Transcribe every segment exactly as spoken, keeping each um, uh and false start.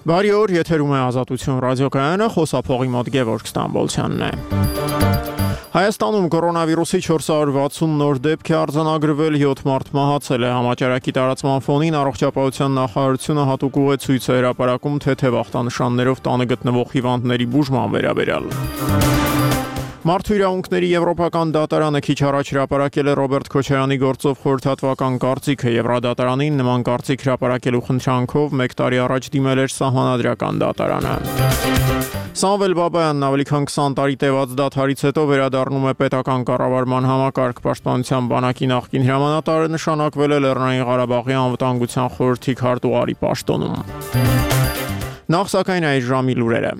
Բարի օր, եթերում է Ազատություն ռադիոկայանը, խոսափողի մոտ Գևորգ Ստամբոլցյանն է։ Հայաստանում կորոնավիրուսի չորս հարյուր վաթսուն նոր դեպք է արձանագրվել, յոթ մարդ մահացել է։ Համաճարակի տարածման ֆոնին առողջապահության նախարարությունը հատուկ ուղեցույց է հրապարակում թեթև ախտանշաններով տանը գտնվող հիվանդների բուժման վերաբերյալ։ Մարդու իրավունքների եվրոպական դատարանը քիչ առաջ հրապարակել է Ռոբերտ Քոչարյանի գործով խորհրդատվական կարծիքը։ Եվրադատարանին նման կարծիք հրապարակելու խնդրանքով մեկ տարի առաջ դիմել էր Սահմանադրական դատարանը։ Սամվել Բաբայանն ավելի քան քսան տարի տևած դադարից հետո վերադառնում է պետական կառավարման համակարգ։ Պաշտպանության բանակի նախկին հրամանատարը նշանակվել է Լեռնային Ղարաբաղի անվտանգության խորհրդի քարտուղարի պաշտոնում։ Նախ սակայն այս ժամի լուրերը։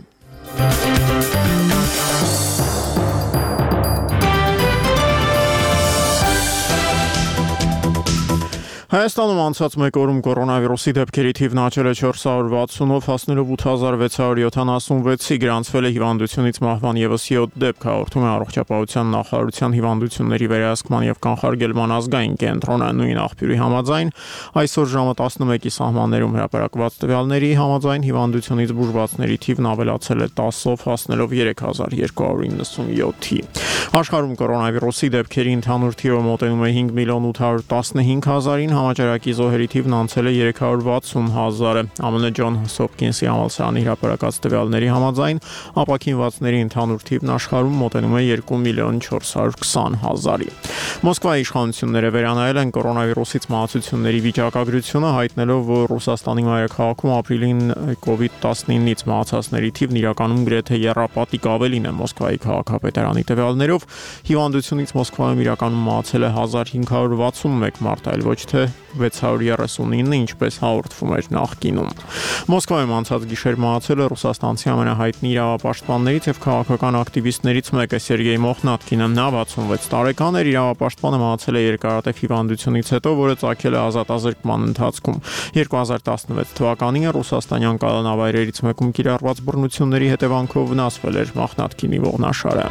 Հայաստանում անցած մեկ օրում կորոնավիրուսի դեպքերի թիվն աճել է չորս հարյուր վաթսունով, հասնելով ութ հազար վեց հարյուր յոթանասունվեցի, գրանցվել է հիվանդությունից մահվան ևս յոթ դեպք, հաղորդում է առողջապահության նախարարության հիվանդությունների վերահսկման և կանխարգելման ազգային կենտրոնը։ Նույն աղբյուրի համաձայն, այսօր ժամը տասնմեկի սահմաններում հրապարակված տվյալների համաձայն հիվանդությունից բուժվածների թիվն ավելացել է տասով, հասնելով երեք հազար երկու հարյուր իննսունյոթի։ Աշխարհում կորոնավիրուսի դեպքերի ընդհանուր թիվը մոտենում է հինգ միլիոն ութ հարյուր տասնհինգ հազարին, համաճարակի զոհերի թիվն անցել է երեք հարյուր վաթսուն հազարը։ ԱՄՆ Ջոնս Հոփքինսի համալսարանի հրապարակած տվյալների համաձայն ապաքինվածների ընդհանուր թիվն աշխարհում մոտենում է երկու միլիոն չորս հարյուր քսան հազարի։ Մոսկվայի իշխանությունները վերանայել են կորոնավիրուսից մահացությունների վիճակագրությունը, հայտնելով, որ Ռուսաստանի մայրաքաղաքում ապրիլին կովիդ տասնինից մահացածների թիվն իրականում գրեթե եռապատիկ ավելին է Մոսկվայի քաղաքապետարանի տվյալներով։ Հիվանդությունից Մոսկվայում իրականում մահացել է հազար հինգ հարյուր վաթսունմեկ մարդ, այլ ոչ թե վեց հարյուր երեսունինը, ինչպես հաղորդվում էր նախկինում։ Մոսկվայում անցած գիշեր մահացել է ռուսաստանցի ամենահայտնի իրավապաշտպաններից և քաղաքական ակտիվիստներից մեկը Սերգեյ Մոխնատկինը։ Նա վաթսունվեց տարեկան էր, իրավապաշտպանը մահացել է երկարատև հիվանդությունից հետո, որը ծագել է ազատազրկման ընթացքում։ երկու հազար տասնվեց թվականին ռուսաստանյան կալանավայրերից մեկում կիրառված բռնությունների հետևանքով վնասվել էր Մոխնատկինի ողնաշարը։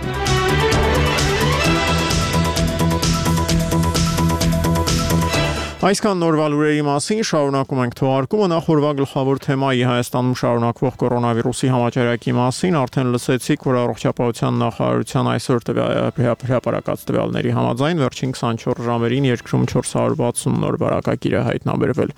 Այսքան նորվա լուրերի մասին, շարունակում ենք թողարկումը։ Նախ օրվա գլխավոր թեմայի Հայաստանում շարունակվող կորոնավիրուսի համաճարակի մասին արդեն լսեցիք, որ առողջապահության նախարարության այսօր հրապարակած տվյալների համաձայն վերջին քսանչորս ժամերին երկրում չորս հարյուր վաթսուն նոր վարակագիր է հայտնաբերվել։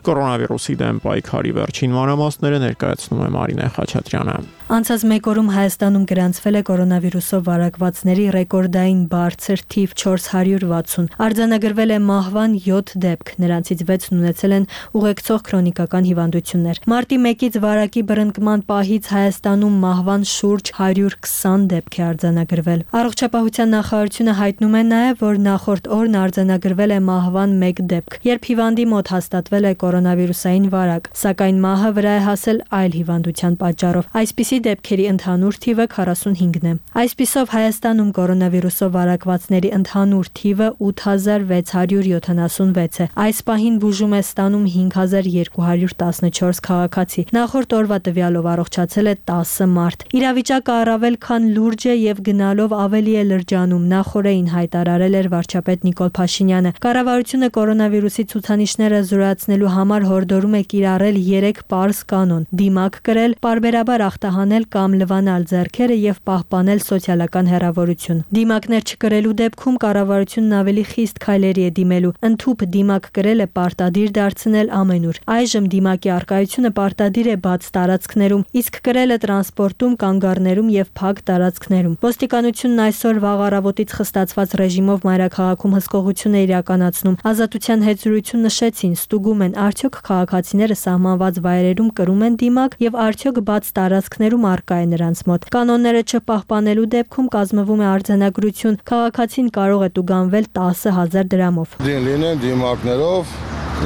Կորոնավիրուսի դեմ պայքարի վերջին մանրամասները ներկայացնում է Մարինե Խաչատրյանը։ Անցած մեկ օրում Հայաստանում գրանցվել է կորոնավիրուսով վարակվածների ռեկորդային բարձր թիվ չորս հարյուր վաթսուն։ Արձանագրվել է մահվան յոթ դեպք, նրանցից վեցն ունեցել են ուղեկցող քրոնիկական հիվանդություններ։ Մարտի մեկից վարակի բռնկման պահից Հայաստանում մահվան շուրջ հարյուր քսան դեպք է արձանագրվել։ Առողջապահության նախարարությունը հայտնում է նաև, որ նախորդ օրն արձանագրվել է մահվան մեկ դեպք, երբ հիվանդի մոտ հաստատվել է կորոնավիրուսային վարակ, սակայն մահը վրա է հասել այլ հիվանդության պատճառով։ Այսպիսի դեպքերի ընդհանուր թիվը քառասունհինգն է։ Այսպիսով Հայաստանում կորոնավիրուսով վարակվածների ընդհանուր թիվը ութ հազար վեց հարյուր յոթանասունվեց է։ Այս պահին բուժում է ստանում հինգ հազար երկու հարյուր տասնչորս քաղաքացի։ Նախորդ օրվա տվյալով առողջացել է տասը մարդ։ Իրավիճակը առավել քան լուրջ է և գնալով ավելի է լրջանում, նախօրեին հայտարարել էր վարչապետ Նիկոլ Փաշինյանը։ Կառավարությունը կորոնավիրուսի ցուցանիշները զրոյացնելու համար հորդորում է կիրառել երեք պարզ կանոն՝ դիմակ կրել, պարբերաբար ախտահանել կամ լվանալ ձեռքերը և պահպանել սոցիալական հեռավորություն։ Դիմակներ չկրելու դեպքում կառավարությունն ավելի խիստ քայլերի է դիմելու։ Ընդհուպ դիմակ կրելը պարտադիր դարձնել ամենուր։ Այժմ դիմակի առկայությունը պարտադիր է բաց տարածքներում, իսկ կրելը տրանսպորտում, կանգառներում և փակ տարածքներում։ Ոստիկանությունն այսօր վաղ առավոտից խստացված ռեժիմով մայրաքաղաքում հսկողություն է իրականացնում։ Ազատության հետ զրույցում նշեցին, ստուգում են, արդյոք քաղաքացիները սահմանված վայրերում կրում են դիմակ և արդյոք բաց տարածքներում առկա է նրանց մոտ։ Կանոնները չպահպանելու դեպքում կազմվում է արձանագրություն, քաղաքացին կարող է տուգանվել տասը հազար դրամով։ Լինեն դիմակներով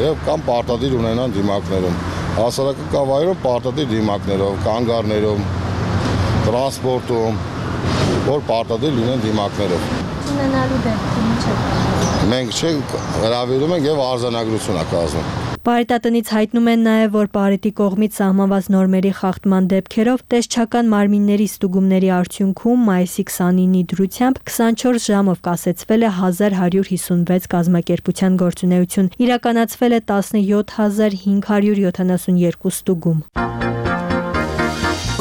եւ կամ պարտադիր ունենան դիմակներում։ Հասարակական վայրում պարտադիր դիմակներով, կանգառներում, տրանսպորտում, որ պարտադիր լինեն դիմակներով։ Ունենալու դեպքում ինչ է։ Մենք չենք հրավիրում ենք եւ արձանագրություն է կազմում։ Պարիտատնից հայտնում են նաև, որ Պարիտի կողմից սահմանված նորմերի խախտման դեպքերով տեսչական մարմինների ստուգումների արդյունքում մայիսի քսանինի դրությամբ քսանչորս ժամով կասեցվել է հազար հարյուր հիսունվեց կազմակերպության գործունեություն, իրականացվել է տասնյոթ հազար հինգ հարյուր յոթանասունյոթ ստուգում։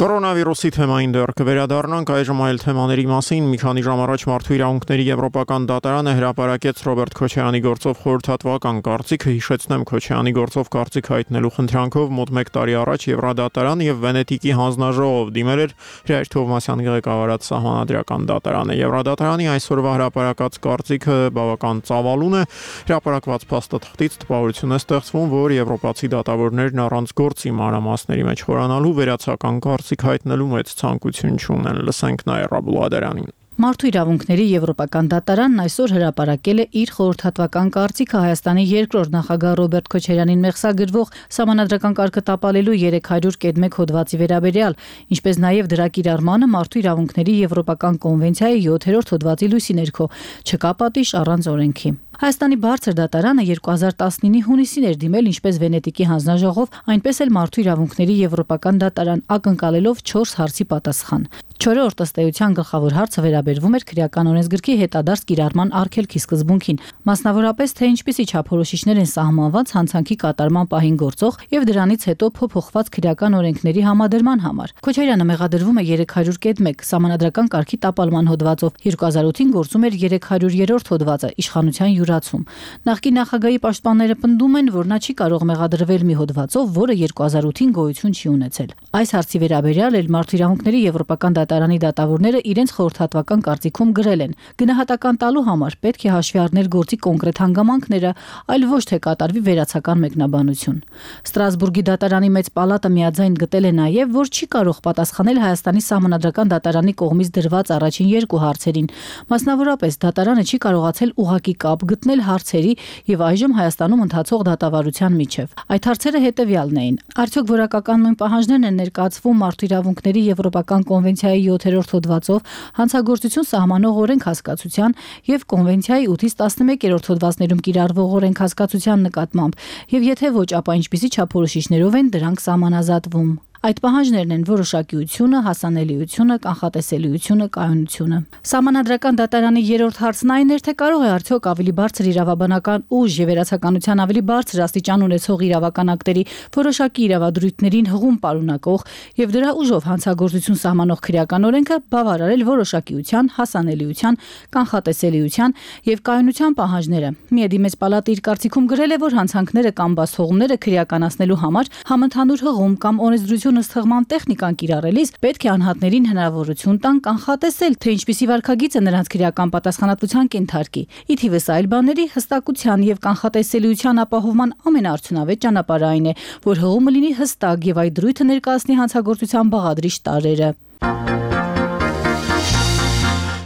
Կորոնավիրուսի թեմային դեռ կվերադառնանք, այժմ այլ թեմաների մասին։ Մի քանի ժամ առաջ Մարդու իրավունքների եվրոպական դատարանը հրապարակեց Ռոբերտ Քոչարյանի գործով խորհրդատվական կարծիքը։ Հիշեցնեմ, Քոչարյանի գործով կարծիք հայտնելու խնդրանքով մոտ մեկ տարի առաջ Եվրադատարան եւ Վենետիկի հանձնաժողով դիմել էր Հրայր Թովմասյանի ղեկավարած Սահմանադրական դատարանը։ Եվրադատարանի այսօրվա հրապարակած կարծիքը բավական ծավալուն է։ Հրապարակված փաստաթղթից տպավորություն է ստեղծվում, որ եվրոպացի դատավորներն առանց գործի մանրամասների մեջ խորանալու վերացական կարծիք հայտնելու մեծ ցանկություն չունեն։ Լսենք Նաիրա Բուլադարյանին։ Մարդու իրավունքների եվրոպական դատարանն այսօր հրապարակել է իր խորհրդատվական կարծիքը Հայաստանի երկրորդ նախագահ Ռոբերտ Քոչարյանին մեղսագրվող Սահմանադրական կարգը տապալելու երեք հարյուր կետ մեկ հոդվածի վերաբերյալ, ինչպես նաև դրա կիրառմանը Մարդու իրավունքների եվրոպական կոնվենցիայի յոթերորդ հոդվածի լույսի ներքո չկա պատիժ առանց օրենքի։ Հայաստանի բարձր դատարանը երկու հազար տասնինի հունիսին էր դիմել ինչպես Վենետիկի հանձնաժողով, այնպես էլ Մարդու իրավունքների եվրոպական դատարան, ակնկալելով չորս հարցի պատասխան։ Չորրորդ ըստ էության գլխավոր հարցը վերաբերվում էր քրեական օրենսգրքի հետադարձ կիրառման արգելքի սկզբունքին, մասնավորապես թե ինչպիսի չափորոշիչներ են սահմանված հանցանքի կատարման պահին գործող եւ դրանից հետո փոփոխված քրեական օրենքների համադրման համար։ Քոչարյանը մեղադրվում է երեք հարյուր կետ մեկ Սահմանադրական կարգի տապալման հոդվածով, երկու հազար ութին գործում էր երեք հարյուրերորդ հոդվածը իշխանության յուրացում։ Նախկին նախագահի պաշտպանները պնդում են, որ նա չի կարող մեղադրվել մի հոդվածով, որը երկու հազար ութին գոյություն չի ունեցել։ Այս հարցի վերաբերյալ էլ Մարդու իրավունքների եվրոպական դատարանի դատավորները իրենց խորհրդատվական կարծիքում գրել են. գնահատական տալու համար պետք է հաշվի առնել գործի կոնկրետ հանգամանքները, այլ ոչ թե կատարվի վերացական մեկնաբանություն։ Ստրասբուրգի դատարանի մեծ պալատը միաձայն գտել է նաև, որ չի կարող պատասխանել Հայաստանի Սահմանադրական դատարանի կողմից դրված առաջին երկու հարցերին։ Մասնավորապես դատարանը չի կարողացել ուղղակի կապ գտնել հարցերի եւ այժմ Հայաստանում ընթացող դատավարության միջև։ Այդ հարցերը հետեւյալն էին. արդյոք որակական նույն պահանջներն են ներկայացվում Մարդու իրավունքների եվրոպական կոնվենցիայի յոթերորդ հոդվածով հանցագործություն սահմանող օրենք հասկացության եւ կոնվենցիայի ութից տասնմեկերորդ հոդվածներում կիրառվող օրենք հասկացության նկատմամբ, եւ եթե ոչ, ապա ինչպիսի չափորոշիչներով են դրանք սահմանազատվում։ Այդ պահանջներն են որոշակիությունը, հասանելիությունը, կանխատեսելիությունը, կայունությունը։ Սահմանադրական դատարանի երրորդ հարցն այն էր, թե կարող է արդյոք ավելի բարձր իրավաբանական ուժ եւ վերացականության ավելի բարձր աստիճան ունեցող իրավական ակտերի որոշակի իրավադրույթներին հղում պարունակող եւ դրա ուժով հանցագործություն սահմանող քրեական օրենքը բավարարել որոշակիության, հասանելիության, կանխատեսելիության եւ կայունության պահանջները։ Միեդի մեծ պալատը իր կարծիքում գրել է, որ հանցանքները կամ բացթողումները քրեականացնելու համար համընդհանուր հղում կամ օրենսդրություն ըստ տեխնիկան կիրառելիս պետք է անհատներին հնարավորություն տան կանխատեսել, թե ինչպիսի վարքագիծ է նրանց քրեական պատասխանատվության կենթարկի։ Ի թիվս այլ բաների, հստակության եւ կանխատեսելիության ապահովման ամենաարդյունավետ ճանապարհը այն է, որ հղումը լինի հստակ եւ այդ դրույթը ներկայացնի հանցագործության բաղադրիչ տարրերը։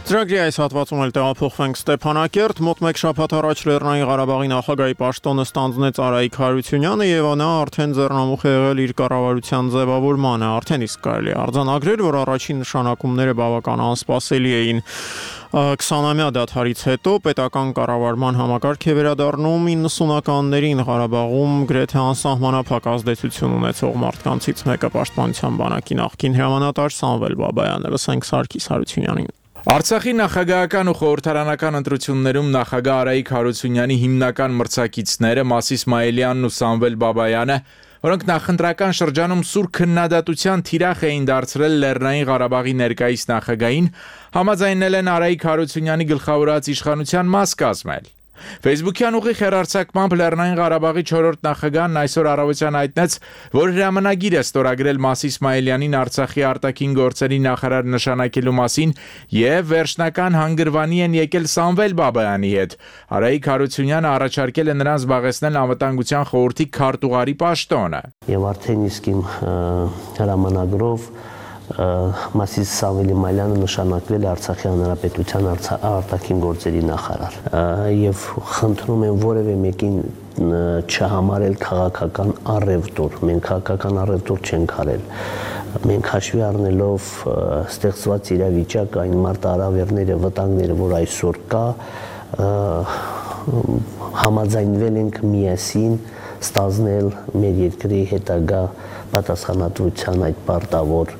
Ծրագրի այս հատվածում էլ տեղափոխվենք Ստեփանակերտ։ Մոտ մեկ շաբաթ առաջ Լեռնային Ղարաբաղի նախագահի պաշտոնը ստանձնեց Արայիկ Հարությունյանը եւ նա արդեն ձեռնամուխ է եղել իր կառավարության ձևավորմանը։ Արդեն իսկ կարելի է արձանագրել, որ առաջին նշանակումները բավական անսպասելի էին։ քսանամյա դադարից հետո պետական կառավարման համակարգ է վերադառնում իննսունականներին Ղարաբաղում գրեթե անսահմանափակ ազդեցություն ունեցող մարդկանցից մեկը Պաշտպանության բանակի նախկին հրամանատար Սամվել Բաբայանը։ Լսենք Սարգիս Հարությունյանին։ Արցախի նախագահական ու խորհրդարանական ընտրություններում նախագահ Արայիկ Հարությունյանի հիմնական մրցակիցները Մաս Իսմայելյանն ու Սամվել Բաբայանը, որոնք նախընտրական շրջանում սուր քննադատության թիրախ էին դարձրել Լեռնային Ղարաբաղի ներկայիս նախագահին, համաձայնել են Արայիկ Հարությունյանի գլխավորած իշխանության մաս կազմել։ Facebook-յան ուղիղ հեռարձակմամբ Լեռնային Ղարաբաղի չորրորդ նախագահն այսօր առավոտյան հայտնեց, որ հրամանագիր է ստորագրել Մաս Իսմայելյանին Արցախի արտաքին գործերի նախարար նշանակելու մասին եւ վերջնական հանգրվանի են եկել Սամվել Բաբայանի հետ։ Արայիկ Հարությունյանը առաջարկել է նրան զբաղեցնել անվտանգության խորհրդի քարտուղարի պաշտոնը։ Եվ արդեն իսկ իմ հրամանագրով Մասիս Սամվել Բաբայանը նշանակվել է Արցախի Հանրապետության արտաքին գործերի նախարար եւ խնդրում եմ որևէ մեկին չհամարել քաղաքական առևտուր։ Մենք քաղաքական առևտուր չենք արել։ Մենք հաշվի առնելով ստեղծված իրավիճակը, այն մարտահրավերները, վտանգները, որ այսօր կա, համաձայնվել ենք միասին ստանձնել մեր երկրի հետագա պատասխանատվության այդ պարտավոր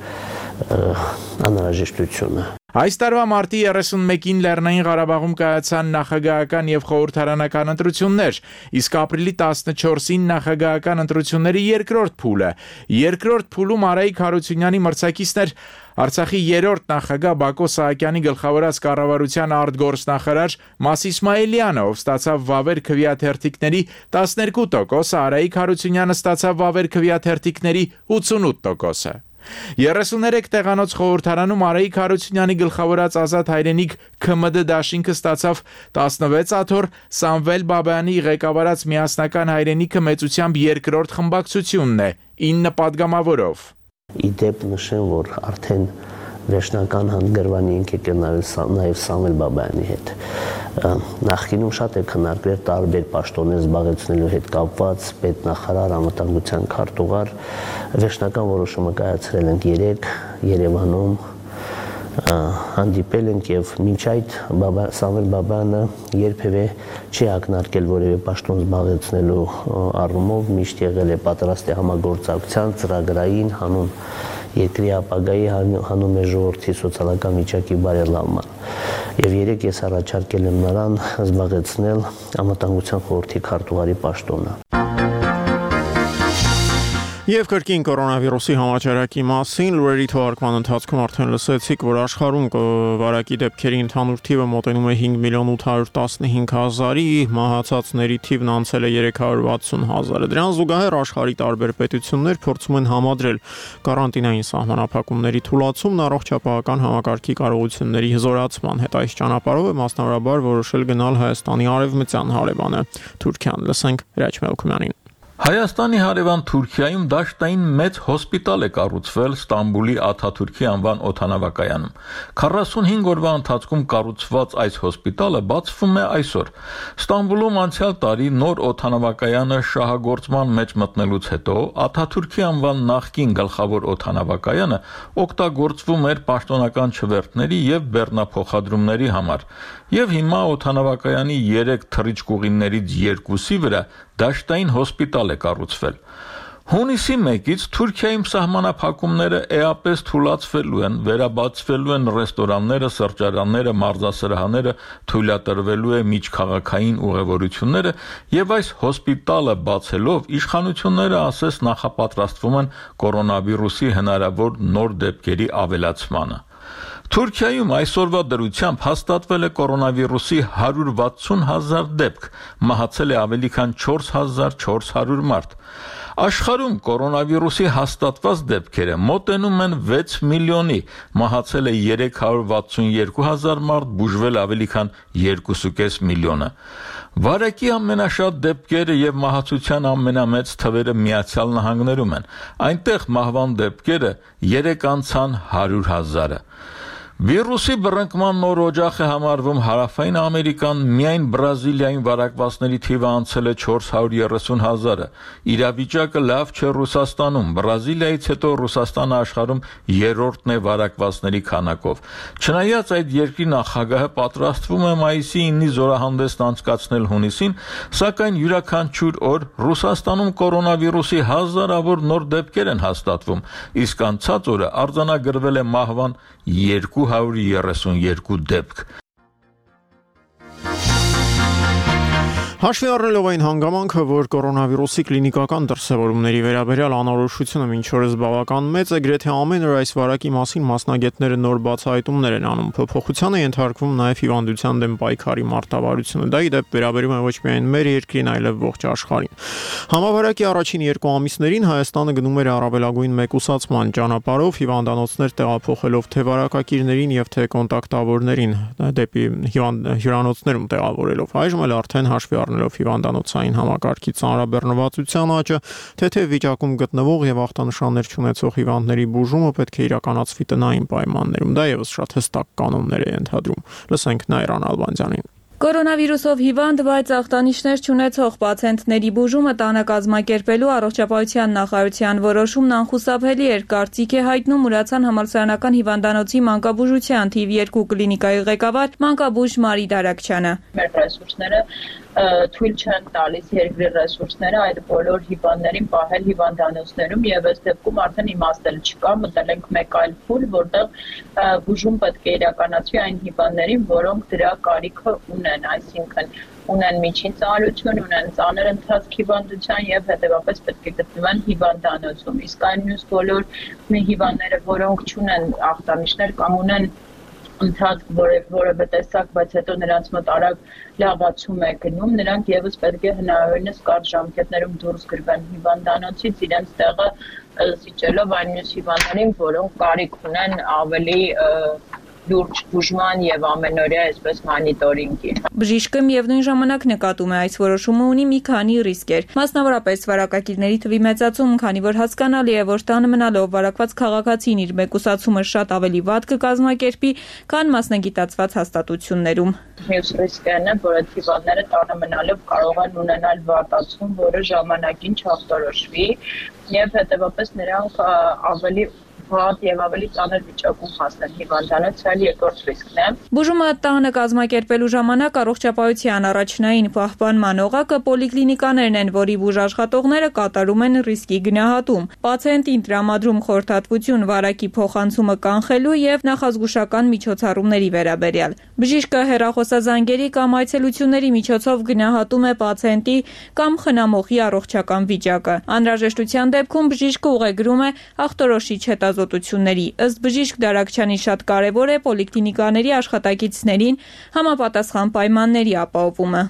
անհրաժեշտությունը։ Այս տարվա մարտի երեսունմեկին Լեռնային Ղարաբաղում կայացան նախագահական եւ խորհրդարանական ընտրություններ, իսկ ապրիլի տասնչորսին նախագահական ընտրությունների երկրորդ փուլը։ Երկրորդ փուլում Արայիկ Հարությունյանի մրցակիցներ Արցախի երրորդ նախագահ Բակո Սահակյանի գլխավորած կառավարության արտգործնախարար Մաս Իսմայելյանը, ով ստացավ վավեր քվեաթերթիկների տասներկու տոկոս, Արայիկ Հարությունյանը ստացավ վավեր քվեաթերթիկների ութսունութ տոկոսը։ երեսուներեք տեղանոց խորհրդարանում Արայիկ Հարությունյանի գլխավորած Ազատ հայրենիք K M D դաշինքը ստացավ տասնվեց աթոռ, Սամվել Բաբայանի ղեկավարած միասնական հայրենիքը մեծությամբ երկրորդ խմբակցությունն է ինը պատգամավորով։ Իդեպ նշեմ, որ արդեն վերջնական հանդգրվանի ենք եկել նաև Սամվել Բաբայանի հետ։ Նախկինում շատ է քննարկվել տարբեր պաշտոններ զբաղեցնելու հետ կապված պետնախարար, անվտանգության քարտուղար։ Վերջնական որոշումը կայացրել ենք երեկ Երևանում, հանդիպել ենք եւ մինչ այդ Սամվել Բաբայանը երբևէ չի ակնարկել որևէ պաշտոն զբաղեցնելու առումով, միշտ եղել է պատրաստ է համագործակցության ծրագրային հանուն երկրի ապագայի հանուն մեր ժողովրդի սոցիալական վիճակի բարելավման։ Եվ երեք ես առաջարկել եմ նրան զբաղեցնել անվտանգության խորհրդի քարտուղարի պաշտոնը։ Եվ կրկին կորոնավիրուսի համաճարակի մասին լուրերի թողարկման ընթացքում արդեն լսեցիք, որ աշխարհում վարակի դեպքերի ընդհանուր թիվը մոտենում է հինգ միլիոն ութ հարյուր տասնհինգ հազարի, մահացածների թիվն անցել է երեք հարյուր վաթսուն հազարը։ Դրան զուգահեռ աշխարհի տարբեր պետություններ փորձում են համադրել կարանտինային սահմանափակումների թուլացումն առողջապահական համակարգի կարողությունների հզորացման հետ։ Այս ճանապարհով է մասնավորաբար որոշել գնալ Հայաստանի արևմտյան հարևանը Թուրքիան։ Լսենք Հրաչ Մելքումյանին։ Հայաստանի հարևան Թուրքիայում դաշտային մեծ հոսպիտալ է կառուցվել Ստամբուլի Աթաթուրքի անվան օդանավակայանում։ քառասունհինգ օրվա ընթացքում կառուցված այս հոսպիտալը բացվում է այսօր։ Ստամբուլում անցյալ տարի նոր օդանավակայանը շահագործման մեջ մտնելուց հետո Աթաթուրքի անվան նախկին գլխավոր օդանավակայանը օգտագործվում էր պաշտոնական չվերթների եւ բեռնափոխադրումների համար։ Եվ հիմա օդանավակայանի երեք թռիչքուղիներից երկուսի վրա դաշտային հոսպիտալ է կառուցվել։ Հունիսի մեկից Թուրքիայում սահմանափակումները էապես թուլացվելու են, վերաբացվելու են ռեստորանները, սրճարանները, մարզասրահները, թույլատրվելու է միջքաղաքային ուղևորությունները եւ այս հոսպիտալը բացելով իշխանությունները ասես նախապատրաստվում են կորոնավիրուսի հնարավոր նոր դեպքերի ավելացմանը։ Թուրքիայում այսօրվա դրությամբ հաստատվել է կորոնավիրուսի հարյուր վաթսուն հազար դեպք, մահացել է ավելի քան չորս հազար չորս հարյուր մարդ։ Աշխարհում կորոնավիրուսի հաստատված դեպքերը մոտենում են վեց միլիոնի, մահացել է երեք հարյուր վաթսուն երկու հազար մարդ, բուժվել ավելի քան երկու կես միլիոնը։ Վարակի ամենաշատ դեպքերը եւ մահացության ամենամեծ թվերը Միացյալ Նահանգներում են։ Այնտեղ մահվան դեպքերը երեք անցան հարյուր հազարը։ Վիրուսի բռնկման նոր օջախ է համարվում Հարավային Ամերիկան, միայն Բրազիլիայում վարակվածների թիվը անցել է չորս հարյուր երեսուն հազարը։ Իրավիճակը լավ չէ Ռուսաստանում, Բրազիլիայից հետո Ռուսաստանը աշխարհում երրորդն է վարակվածների քանակով։ Չնայած այդ երկրի նախագահը պատրաստվում է մայիսի իննի զորահանդեսն անցկացնել հունիսին, սակայն յուրաքանչյուր օր Ռուսաստանում կորոնավիրուսի հազարավոր նոր դեպքեր են հաստատվում, իսկ անցած օրը արձանագրվել է մահվան երկու հարյուր երեսուն երկու դեպք։ Հաշվի առնելով այն հանգամանքը, որ կորոնավիրուսի կլինիկական դրսևորումների վերաբերյալ անորոշությունը մինչ օրս բավական մեծ է, գրեթե ամեն օր այս վարակի մասին մասնագետները նոր բացահայտումներ են անում։ Փոփոխության է ենթարկվում նաև հիվանդության դեմ պայքարի մարտավարությունը։ Դա ի դեպ վերաբերում է ոչ միայն մեր երկրին, այլև ողջ աշխարհին։ Համավարակի առաջին երկու ամիսներին Հայաստանը գնում էր առավելագույն մեկուսացման ճանապարհով, հիվանդանոցներ տեղափոխելով թե վարակակիրներին եւ թե կոնտակտավորներին դեպի հյուրանոցներում տեղավորելով։ Այժմ էլ արդեն հաշվի առնելով հիվանդանոցային համակարգի ծանրաբեռնվածության աճը, թեթև վիճակում գտնվող եւ ախտանշաններ չունեցող հիվանդների բուժումը պետք է իրականացվի տնային պայմաններում։ Դա եւս շատ հստակ կանոններ է ենթադրում։ Լսենք Նայրան Ալբանդյանին։ Կորոնավիրուսով հիվանդ, բայց ախտանիշներ չունեցող պացիենտների բուժումը տանը կազմակերպելու առողջապահության նախարարության որոշումն անխուսափելի էր, կարծիք է հայտնում Ուրացան համալսարանական հիվանդանոցի մանկաբուժության թիվ երկու կլինիկայի ղեկավար մանկաբույժ Մարի Դարակչյանը։ Մեր ռեսուրսները թույլ չեն տալիս երկրի ռեսուրսները այդ բոլոր հիվանդներին պահել հիվանդանոցներում եւ այս դեպքում արդեն իմաստել չկա, մտել ենք մեկ այլ փուլ, որտեղ բուժում պետք է իրականացվի այն հիվանդներին, որոնք դրա կարիքը ունեն, այսինքն ունեն միջին ծանրություն, ունեն ծանր ընթացք հիվանդության եւ հետեւաբար պետք է գտնվեն հիվանդանոցում։ Իսկ այն մյուս բոլոր հիվանդները, որոնք չունեն ախտանիշներ կամ ունեն ընթացք որևէ տեսակ, բայց հետո նրանց մոտ արագ լավացում է գնում, նրանք եւս պետք է հնարավորինս կարճ ժամկետներում դուրս գրվեն հիվանդանոցից, իրենց տեղը զիջելով այն մյուս հիվանդներին, որոնք կարիք ունեն ավելի լուրջ բուժման եւ ամենօրյա այսպես մոնիտորինգի։ Բժիշկը միևնույն ժամանակ նկատում է այս որոշումը ունի մի քանի ռիսկեր, մասնավորապես վարակագիրների թվի մեծացում, քանի որ հասկանալի է, որ տանը մնալով վարակված քաղաքացին իր մեկուսացումը շատ ավելի վատ կկազմակերպի, քան մասնագիտացված հաստատություններում։ Մյուս ռիսկն է, որ այդ հիվանդները տանը մնալով կարող են ունենալ վատացում, որը ժամանակին չախտորոշվի եւ հետեւաբար նրանք ավելի վատ եւ ավելի ծանր վիճակում հասնեն հիվանդանոց, այլ երկրորդ ռիսկն է։ Բուժումը տանը կազմակերպելու ժամանակ առողջապահության առաջնային պահպանման օղակը պոլիկլինիկաներն են, որի բուժաշխատողները կատարում են ռիսկի գնահատում, պացիենտին տրամադրում խորհրդատվություն վարակի փոխանցումը կանխելու եւ նախազգուշական միջոցառումների վերաբերյալ։ Բժիշկը հեռախոսազանգերի կամ այցելությունների միջոցով գնահատում է պացիենտի կամ խնամողի առողջական վիճակը։ Անհրաժեշտության դեպքում բժիշկը ուղեգրում է ախտորոշիչ հետազոտությունների։ Ըստ բժիշկ Դարակչյանի շատ կարևոր է պոլիկլինիկաների աշխատակիցներին համապատասխան պայմանների ապահովումը։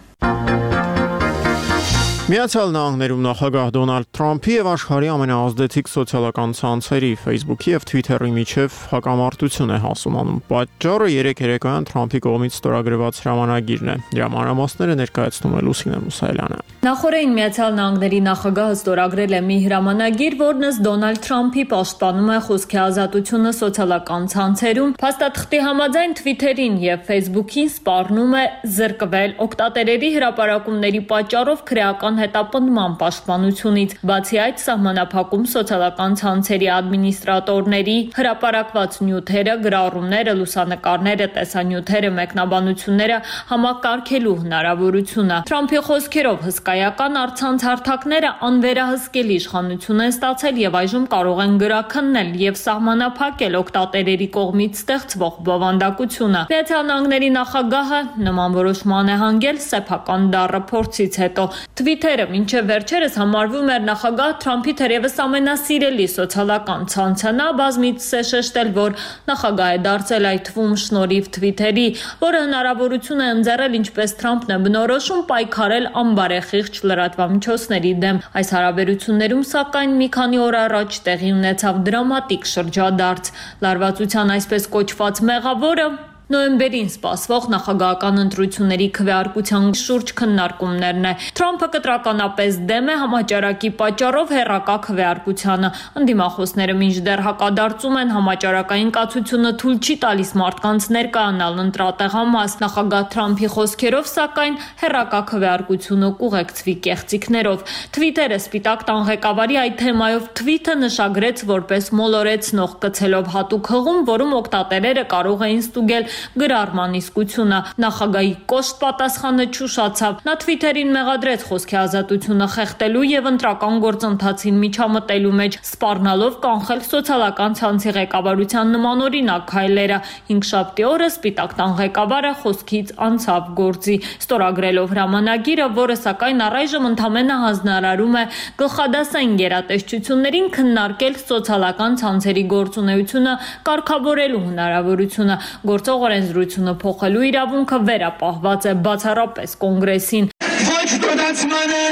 Միացյալ Նահանգներում նախագահ Դոնալդ Թրամփի եւ աշխարհի ամենաազդեցիկ սոցիալական ցանցերի Facebook-ի եւ Twitter-ի միջև հակամարտություն է հասունանում։ Պատճառը երեք երեկոյան Թրամփի կողմից ստորագրված հրամանագիրն է։ Դրա մանրամասները ներկայացնում է Լուսինե Մուսայելյանը։ Նախորդին Միացյալ Նահանգների նախագահը ստորագրել է մի հրամանագիր, որն ըստ Դոնալդ Թրամփի պաշտպանում է խոսքի ազատությունը սոցիալական ցանցերում։ Փաստաթղթի համաձայն Twitter-ին եւ Facebook-ին սպառնում է զրկվել օգտատերերի հրապարակումների պատճառով քրեական հետապնդման պաշտպանությունից, բացի այդ սահմանափակում սոցիալական ցանցերի ադմինիստրատորների հրապարակված նյութերը, գրառումները, լուսանկարները, տեսանյութերը, մեկնաբանությունները համակարգելու հնարավորությունը։ Թրամփի խոսքերով հսկայական առցանց հարթակները անվերահսկելի իշխանություն են ստացել եւ այժմ կարող են գրաքննել եւ սահմանափակել օգտատերերի կողմից ստեղծվող բովանդակությունը։ Միացյալ Նահանգների նախագահը նման որոշման է հանգել սեփական դառը փորձից հետո։ Twitter-ը մինչև վերջերս համարվում էր նախագահ Թրամփի թերևս ամենասիրելի սոցիալական ցանցը։ Նա բազմիցս է շեշտել, որ նախագահ է դարձել այդ թվում շնորհիվ Twitter-ի, որը հնարավորություն է ընձեռել, ինչպես Թրամփն է բնորոշում, պայքարել անբարեխիղճ լրատվամիջոցների դեմ։ Այս հարաբերություններում, սակայն, մի քանի օր առաջ տեղի ունեցավ դրամատիկ շրջադարձ։ Լարվածության այսպես կոչված մեղավորը նոյեմբերին սպասվող նախագահական ընտրությունների քվեարկության շուրջ քննարկումներն է։ Թրամփը կտրականապես դեմ է համաճարակի պատճառով հեռակա քվեարկությանը։ Ընդդիմախոսները մինչդեռ հակադարձում են համաճարակային կացությունը թույլ չի տալիս մարդկանց ներկայանալ ընտրատեղամաս։ Նախագահ Թրամփի խոսքերով, սակայն, հեռակա քվեարկությունը կուղեկցվի կեղծիքներով։ Twitter-ը Սպիտակ տան ղեկավարի այդ թեմայով թվիթը նշագրեց որպես մոլորեցնող կցելով հատուկ հղում, որում օգտատերերը կարող էին ստուգել գրառման իսկությունը։ Նախագահի կոշտ պատասխանը չուշացավ։ Նա Twitter-ին մեղադրեց խոսքի ազատությունը խեղդելու եւ ընտրական գործընթացին միջամտելու մեջ, սպառնալով կանխել սոցիալական ցանցի ղեկավարության նմանօրինակ քայլերը։ Հինգշաբթի օրը Սպիտակ տան ղեկավարը խոսքից անցավ գործի, ստորագրելով հրամանագիրը, որը սակայն առայժմ ընդամենը հանձնարարում է գլխադասային գերատեսչություններին քննարկել սոցիալական ցանցերի գործունեությունը կարգավորելու հնարավորությունը։ Գործող օրենսդրությունը փոխելու իրավունքը վերապահված է բացառապես կոնգրեսին։ Ոչ դոդացմանը,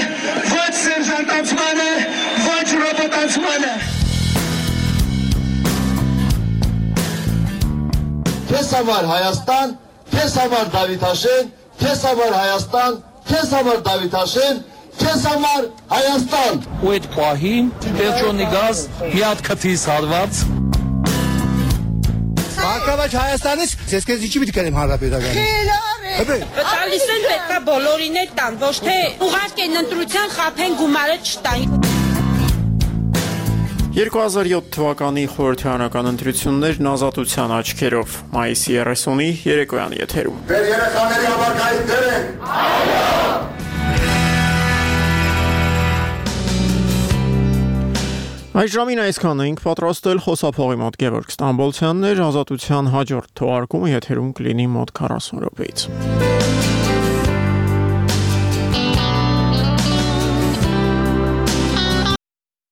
ոչ սերժանտացմանը, ոչ ռոբոտացմանը։ Քեզ համար Հայաստան, քեզ համար Դավիթաշեն, քեզ համար Հայաստան, քեզ համար Դավիթաշեն, քեզ համար Հայաստան։ Ու այդ պահին Պետրոնի գազ մի հատ քթից հարված։ Հակավաճ Հայաստանից ես քեզ ինչի՞ պիտի կերեմ հանրապետականի։ Խելառ է։ Տալիս են պետքա բոլորին էլ տան, ոչ թե ուղարկեն ընտրության խափեն գումարը չտան։ երկու հազար յոթ թվականի խորհրդարանական ընտրություններն ազատության աչքերով մայիսի երեսունի երեկոյան եթերում։ Մեր երեխաների համար կայք դեր են։ Այո։ Այս ժամին այսքանը ենք պատրաստել խոսափողի մոտ Գևորգ Ստամբոլցյանն էր, ազատության հաջորդ թողարկումը եթերում կլինի մոտ քառասուն րոպեից։